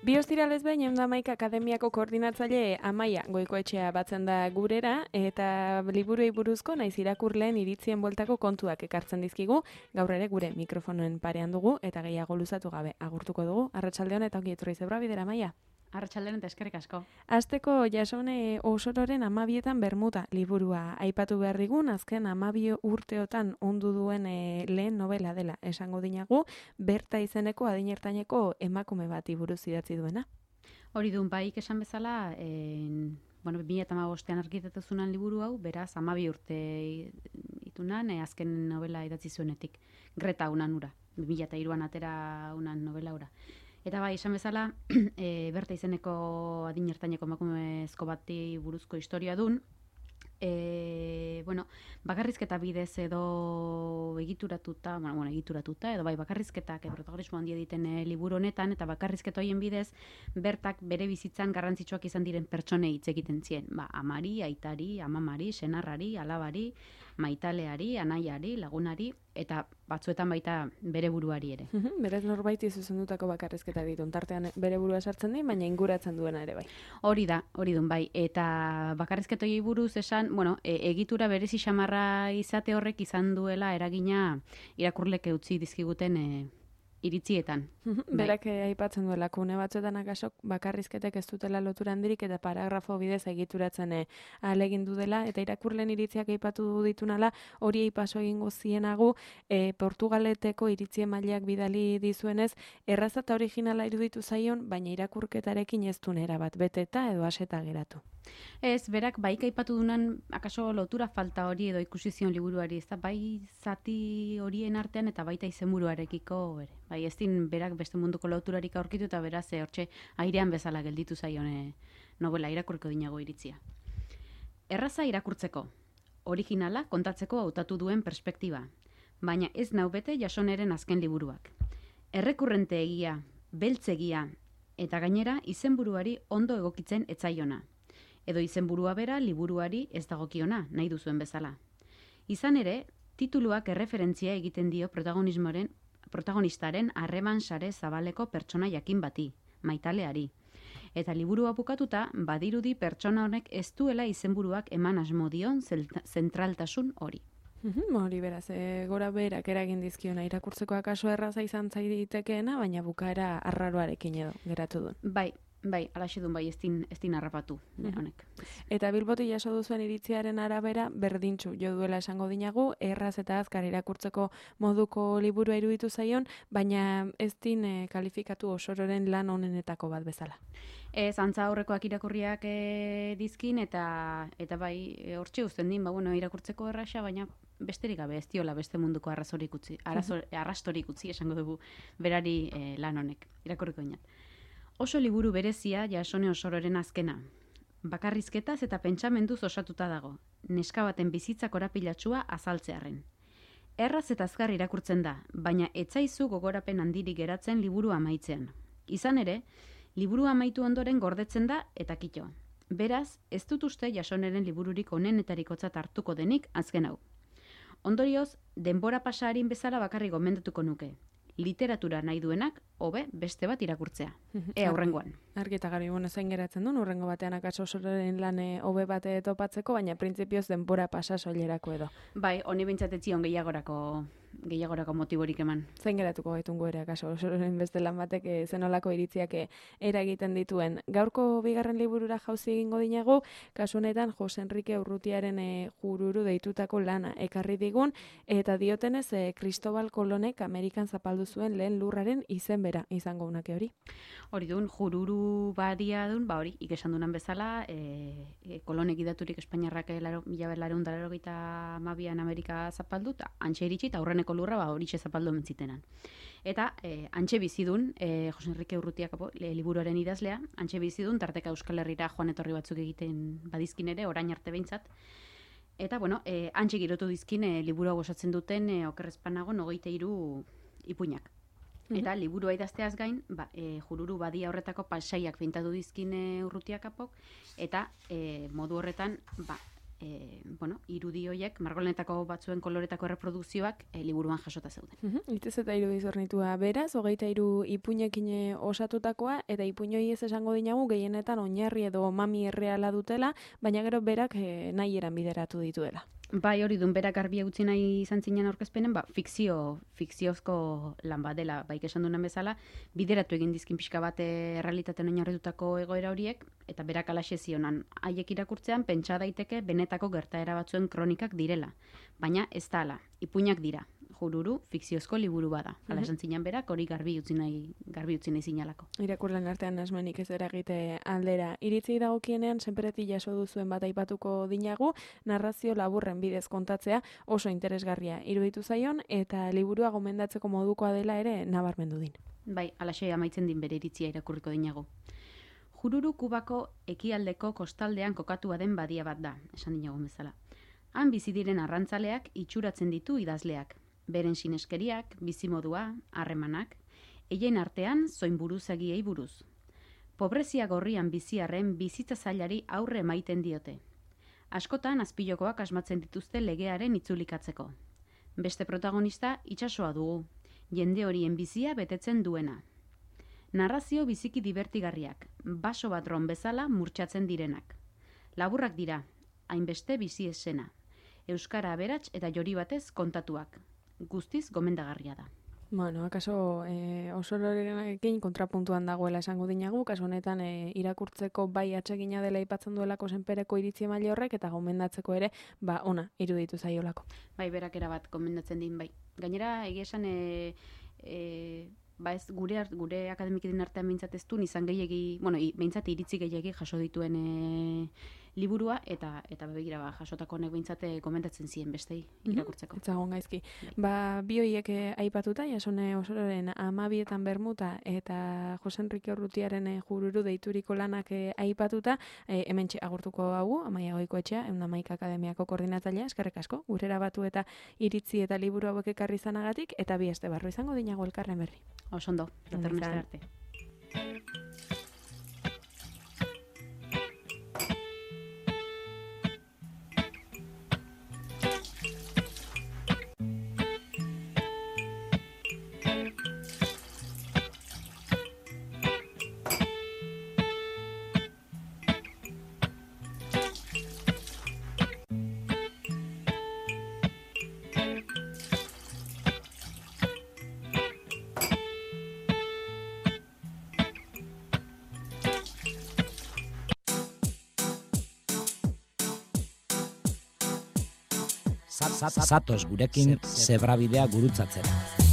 Bi ostiralez behin Eundamaika Akademiako koordinatzaile Amaia Goikoetxea batzen da gurera eta liburuei buruzko naiz irakurleen iritzien bueltako kontuak ekartzen dizkigu. Gaur ere gure mikrofonoen parean dugu eta gehiago luzatu gabe agurtuko dugu. Arratsalde on eta ongi etorri zebra bidera, Amaia. Arratsalde on eta eskerrik asko. Hasteko Jasone Osororen 12etan Bermuda liburua aipatu behar digun, azken 12 urteotan ondu duen lehen novela dela esango dinagu, Berta izeneko adinertaineko emakume bati buruz idatzi duena. Hori dun baik esan bezala, 2015ean argitatu zunan liburu hau, beraz 12 urte itunan, azken novela idatzi zuenetik. Greta unan ura, 2003an atera unan novela ura. Eta bai, esan bezala, Berta izeneko adinertaineko emakumezko bati buruzko historia dun, bakarrizketa bidez edo egituratuta edo bai bakarrizketak protagonismo handia egiten liburu honetan, eta bakarrizketa hoien bidez Bertak bere bizitzan garrantzitsuak izan diren pertsonei hitz egiten zien, amari, aitari, amamari, senarrari, alabari, maitaleari, anaiari, lagunari eta batzuetan baita bere buruari ere. Berez norbaiti zuzendutako bakarrizketa ditu, tartean bere burua sartzen di, baina inguratzen duena ere bai. Hori dun bai, eta bakarrizketa hoiei buruz esan, egitura berezi xamarra izate horrek izan duela eragina irakurlek utzi dizkiguten iritzietan. Berak aipatzen duela, kune batzuetan akasok bakarrizketek ez dutela lotura handirik eta paragrafo bidez egituratzen ahalegindu dela, eta irakurleen iritziak aipatu ditunala, hori aipaso egingo zienagu, Portugaleteko iritzien mailak bidali dizuenez, erraza eta originala iruditu zaion, baina irakurketarekin ez duen erabat beteta edo aseta geratu. Ez, berak baik aipatu dunan akaso lotura falta hori edo ikusi zion liburuari, ez da bai zati horien artean eta baita izenburuarekiko ere. Bai, ez din berak beste munduko loturarik aurkitu eta beraz hortxe airean bezala gelditu zaion novela irakurko dinago iritzia. Erraza irakurtzeko, originala kontatzeko hautatu duen perspektiba, baina ez nau bete Jasoneren azken liburuak. Errekurrente egia, beltzegia eta gainera izenburuari ondo egokitzen etzaiona. Edo izenburua bera liburuari ez dagokiona, nahi duzuen bezala. Izan ere, tituluak erreferentzia egiten dio protagonistaren harreman sare zabaleko pertsona jakin bati, maitaleari. Eta liburua bukatuta, badirudi pertsona honek ez duela izenburuak eman asmo dion zentraltasun hori. Hori beraz, gora berak eragin dizkiona irakurtzeko akaso erraza izan zaiditekeena, baina bukaera arraroarekin edo geratu duen. Bai, alaxe dun bai, ez din harrapatu, honek. Eta Bilboti jaso duzuen iritziaren arabera, berdintxu jo duela esango dinagu, erraz eta azkar irakurtzeko moduko liburua iruditu zaion, baina ez din kalifikatu Osororen lan honenetako bat bezala. Ez, antza aurrekoak irakurriak dizkin, eta bai, hortxe uzten din, irakurtzeko erraxa, baina besterik gabe ez diola beste munduko arrastorik utzi, esango dugu berari lan honek, irakurriko inat. Oso liburu berezia Jasone Osororen azkena. Bakarrizketaz eta pentsamenduz osatuta dago, neska baten bizitza korapilatsua azaltzearren. Erraz eta azkar irakurtzen da, baina etzaizu gogorapen handirik geratzen liburu amaitzean. Izan ere, liburu amaitu ondoren gordetzen da eta kito. Beraz, ez dut uste Jasoneren libururik onenetarikotzat hartuko denik azken hau. Ondorioz, denbora pasarin bezala bakarrik gomendatuko nuke. Literatura nahi duenak, hobe beste bat irakurtzea. Hurrengoan. Argi eta garbi, zein geratzen duen, hurrengo batean akaso Osororen lan hobe bat topatzeko, baina printzipioz denbora pasa soilerako edo. Bai, honi bintzatetzion gehiagorako motiborik eman. Zein geratuko gaitungo ere akaso Osororen beste lan batek zenolako iritziak eragiten dituen. Gaurko bigarren liburura jauzi egingo dinagu, kasu honetan Jose Enrique Urrutiaren Jururu deitutako lana ekarri digun, eta diotenez Cristobal Colonek Amerikan zapaldu zuen lehen lurraren izen bera izango unake hori. Hori dun, Jururu badia dun, hori, ikesan dunan bezala, Kolonek idaturik Espainiarrak 1982an Amerika zapaldu, eta antxe iritsi, eta aurreneko lurra horitxe zapaldu mentzitenan. Eta antxe bizidun, Jose Enrique Urrutiak liburuaren idazlea, antxe bizidun, tarteka Euskal Herrira joan etorri batzuk egiten badizkin ere, orain arte behintzat. Eta, antxe girotu dizkin liburu hau osatzen duten okerrezpanago 23 ipuinak. Eta liburua idazteaz gain, Jururu badia horretako pasaiak pintatu dizkin Urrutiak apok, eta modu horretan, irudi horiek, margolanetako batzuen koloretako erreprodukzioak liburuan jasota zeuden. Itez eta hiru izornitua beraz, 23 ipuinekin osatutakoa, eta ipuinoi ez esango dinagu gehienetan oinarri edo mami erreala dutela, baina gero berak nahi eran bideratu dituela. Bai, hori dun berak garbi utzi nahi izan zinen aurkezpenen, fikziozko lan bat dela, bai esan duen bezala, bideratu egin dizkin pixka bat errealitatean oinarritutako egoera horiek, eta berak alaxe zionan, haiek irakurtzean pentsa daiteke benetako gertaera batzuen kronikak direla, baina ez da ala, ipuinak dira, jururu fikziozko liburu bada. Hala esan zinan berak, hori garbi utzi nahi zinalako. Irakurlen artean asmenik ez eragite aldera. Iritzi dagokienean, senpereti jaso duzuen bat aipatuko dinagu, narrazio laburren bidez kontatzea oso interesgarria iruditu zaion, eta liburua gomendatzeko modukoa dela ere nabarmendu din. Bai, alaxe amaitzen din bere iritzia irakurriko dinagu. Jururu Kubako ekialdeko kostaldean kokatua den badia bat da, esan dinagu bezala. Han bizi diren arrantzaleak itxuratzen ditu idazleak. Beren sineskeriak, bizimodua, harremanak, eien artean zoin buruzagiei buruz. Pobrezia gorrian biziarren bizitza zailari aurre emaiten diote. Askotan azpilokoak asmatzen dituzte legearen itzulikatzeko. Beste protagonista itsasoa dugu, jende horien bizia betetzen duena. Narrazio biziki divertigarriak, baso bat ron bezala murtsatzen direnak. Laburrak dira, hainbeste bizi esena. Euskara aberats eta jori batez kontatuak. Guztiz gomendagarria da. Bueno, akaso oso lorenarekin kontrapuntuan dagoela esango dinagu, kaso honetan irakurtzeko bai atsegina dela aipatzen duelako senpereko iritzi maila horrek, eta gomendatzeko ere, ona, iruditu zaiolako. Bai, berak erabat gomendatzen din, bai. Gainera, egia esan, ez gure akademikiden artean behintzat ez du, izan gehiegi, behintzat iritzi gehiegi jaso dituen liburua, eta begira jasotako honek behintzat komentatzen ziren bestei irakurtzeko. Etzagon gaizki. Bi horiek aipatuta, Jasone Osororen Amabietan Bermuta eta Jose Enrique Urrutiaren Jururu deituriko lanak aipatuta, hementxe agurtuko hau, Amaia Goikoetxea, 111 Akademiako koordinatzailea, eskerrik asko, gurera batu eta iritzi eta liburu hauek ekarri izanagatik, eta bi este barru izango dinago elkarren berri. Osondo, datorren arte. Zatoz gurekin zebrabidea gurutzatzera.